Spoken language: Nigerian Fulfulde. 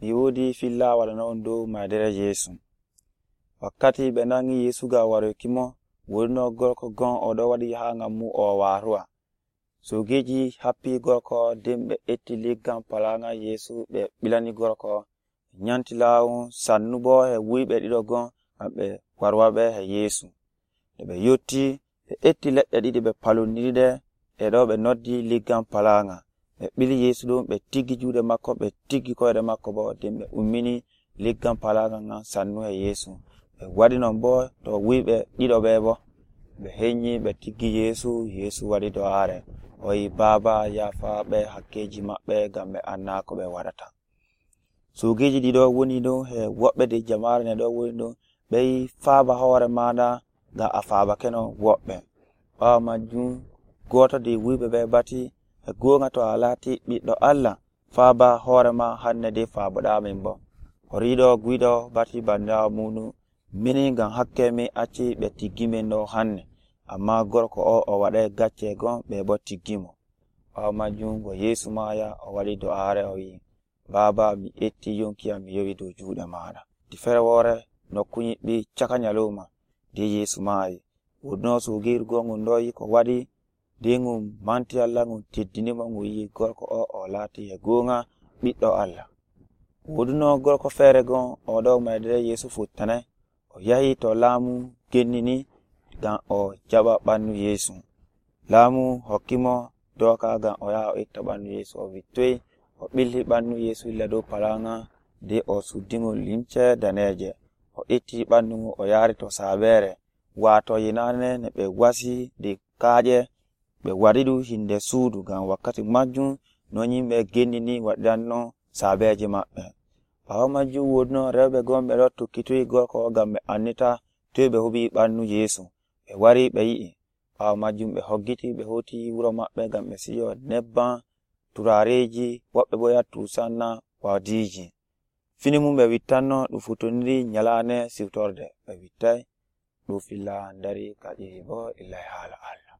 mi wodi filla waɗana on dow maadere Yeesu. Wakkati ɓe nangi Yeesu ga waroki mo, wurno gorko gon oɗo waɗi ha ngam mu o waruwa. Sogeji happi gorko den ɓe etti leggal palanga Yeesu ɓe bilani gorko nyanti lawun sannu bo he wuyɓe ɗiɗo gon ngam ɓe warwaɓe he Yeesu. Ɓe yotti ɓe etti leɗɗe ɗiɗi ɓe palundiride e ɗo ɓe noddi leggal palanga. Ɓe bili Yeesu ɗum ɓe tiggi juuɗe makko ɓe tiggi koyɗe makko bo den ɓe ummini leggal palanga ngan sannu he Yeesu. Ɓe waɗi non bo to wuyɓe ɗiɗo ɓe bo ɓe henyi ɓe tiggi Yeesu waɗi do'are o yi Baaba yafa ɓe hakkeji maɓɓe ngam ɓe anna ko ɓe waɗata. Sugeji ɗiɗo woni ɗon he woɓɓe de jamare ne ɗo woni ɗon ɓe yi faaba hoore maɗa ngam a faabake no woɓɓe. Ɓawo majum goto de wuyɓe ɓe bati e gonga to a laati ɓiɗɗo Allah faaba hoore ma hanne de faaboɗa min bo. Horiɗo guiɗo bati bandawo muɗum mini ngam hakke mi acci ɓe tiggi min ɗo hanne, amma gorko o waɗai gacce gon ɓe bo tiggi mo. Ɓawo majum go Yeesu maya o waɗi do'are o yi Baaba mi etti yonki am mi yowi dow juuɗe maɗa. Di fere wore nokku nyiɓɓi caka nyaloma de Yeesu mayi. Wurno sugir gongun ɗo yi ko waɗi de ngum manti Allah ngum teddinimo ngu yi gorko o laati e gonga ɓiɗɗo Allah. Wurno gorko fere gon o ɗo maydere Yeesu futtanai o yahi to laamu gennini ngam o jaɓa ɓandu Yeesu. Laamu hokkimo doka ngam o yaha o itta ɓandu Yeesu. O vittoyi o ɓilli ɓandu Yeesu illa dow palanga de o suddingol limce daneje. O itti ɓandu o yari to sabere wato yinane ne ɓe wasi de kaaƴe ɓe waɗiɗu hinde suudu ngam wakkati majjum non yimɓe gennini waɗanno sabeje maɓɓe. Ɓawo majjum wurno rewɓe gon ɓe ɗo tokkitoyi gorko ngam ɓe annita toy ɓe huɓi ɓandu Yeesu. Ɓe wari ɓe yi'i. Ɓawo majjum ɓe hoggiti ɓe hoti wuro maɓɓe ngam ɓe siyo nebbam turareji woɓɓe bo yattu sanna wadiji. Fini mum ɓe wittanno ɗum futoniri nyalane siwtorde ɓe wittai ɗum filla dari kadi bo illai hala Allah.